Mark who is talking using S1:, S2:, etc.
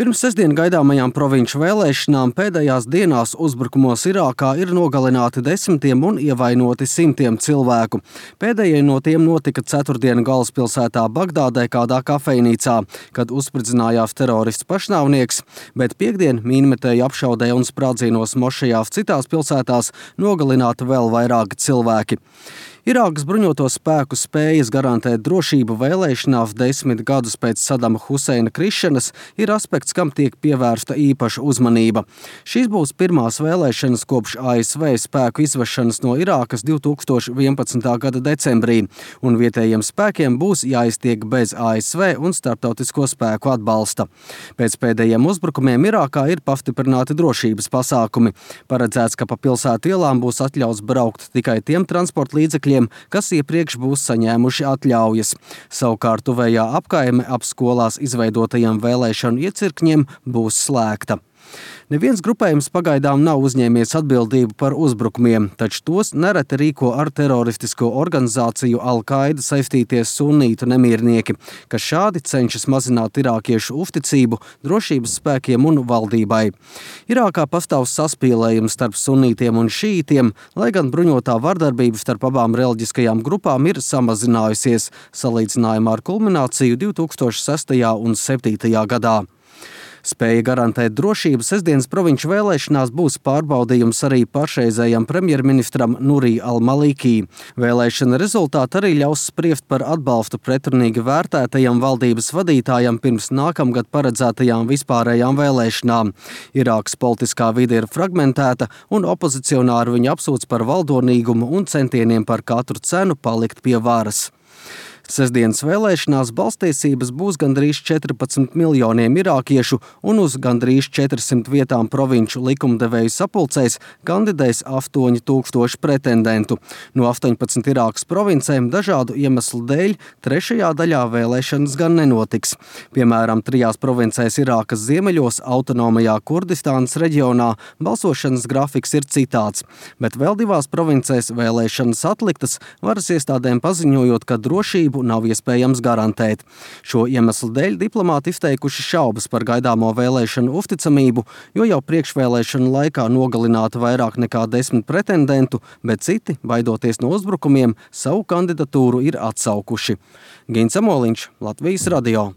S1: Pirms sestdien gaidāmajām provinču vēlēšanām pēdējās dienās uzbrukumos Irākā ir nogalināti desmitiem un ievainoti simtiem cilvēku. Pēdējie no tiem notika ceturtdienu galvaspilsētā Bagdādē kādā kafejnīcā, kad uzspridzinājās terorists pašnāvnieks, bet piektdien mīnmetēju apšaudē un sprādzienos mošajās citās pilsētās nogalināti vēl vairāki cilvēki. Irākas bruņoto spēku spējas garantēt drošību vēlēšanās 10 gadus pēc Sadama Huseina krišanas ir aspekts, kam tiek pievērsta īpaša uzmanība. Šīs būs pirmās vēlēšanas kopš ASV spēku izvešanas no Irākas 2011. gada decembrī, un vietējiem spēkiem būs jāiztiek bez ASV un starptautisko spēku atbalsta. Pēc pēdējiem uzbrukumiem Irākā ir pastiprināti drošības pasākumi. Paredzēts, ka pa pilsētu ielām būs atļauts braukt tikai tiem transporta līdzekļiem, kas iepriekš būs saņēmuši atļaujas. Savukārt tuvējā apkaime ap skolās izveidotajiem vēlēšanu iecirkņiem būs slēgta. Neviens grupējums pagaidām nav uzņēmies atbildību par uzbrukumiem, taču tos nereti rīko ar teroristisko organizāciju Al-Qaida saistīties sunītu nemiernieki, kas šādi cenšas mazināt irākiešu uzticību drošības spēkiem un valdībai. Irākā pastāv saspīlējums starp sunītiem un šītiem, lai gan bruņotā vardarbība starp abām reliģiskajām grupām ir samazinājusies, salīdzinājumā ar kulmināciju 2006. un 2007. gadā. Spēja garantēt drošību sestdienas provinču vēlēšanās būs pārbaudījums arī pašreizējam premjerministram Nurī al-Malikī. Vēlēšana rezultāti arī ļaus spriest par atbalstu pretrunīgi vērtētajam valdības vadītājam pirms nākamgad paredzētajām vispārējām vēlēšanām. Irākas politiskā vide ir fragmentēta un opozicionāri viņu apsūdz par valdonīgumu un centieniem par katru cenu palikt pie varas. Sestdienas vēlēšanās balsstiesības būs gandrīz 14 miljoniem irākiešu un uz gandrīz 400 vietām provinču likumdevēju sapulcēs kandidēs 8000 pretendentu. No 18 Irākas provincēm dažādu iemeslu dēļ trešajā daļā vēlēšanas gan nenotiks. Piemēram, 3 provincēs Irākas ziemeļos autonomajā Kurdistānas reģionā balsošanas grafiks ir citāds, bet vēl 2 provincēs vēlēšanas atliktas, varas iestādēm paziņojot, ka drošību nav iespējams garantēt. Šo iemeslu dēļ diplomāti izteikuši šaubas par gaidāmo vēlēšanu uzticamību, jo jau priekšvēlēšanu laikā nogalināti vairāk nekā 10 pretendentu, bet citi, baidoties no uzbrukumiem, savu kandidatūru ir atsaukuši. Gins Amoliņš, Latvijas radio.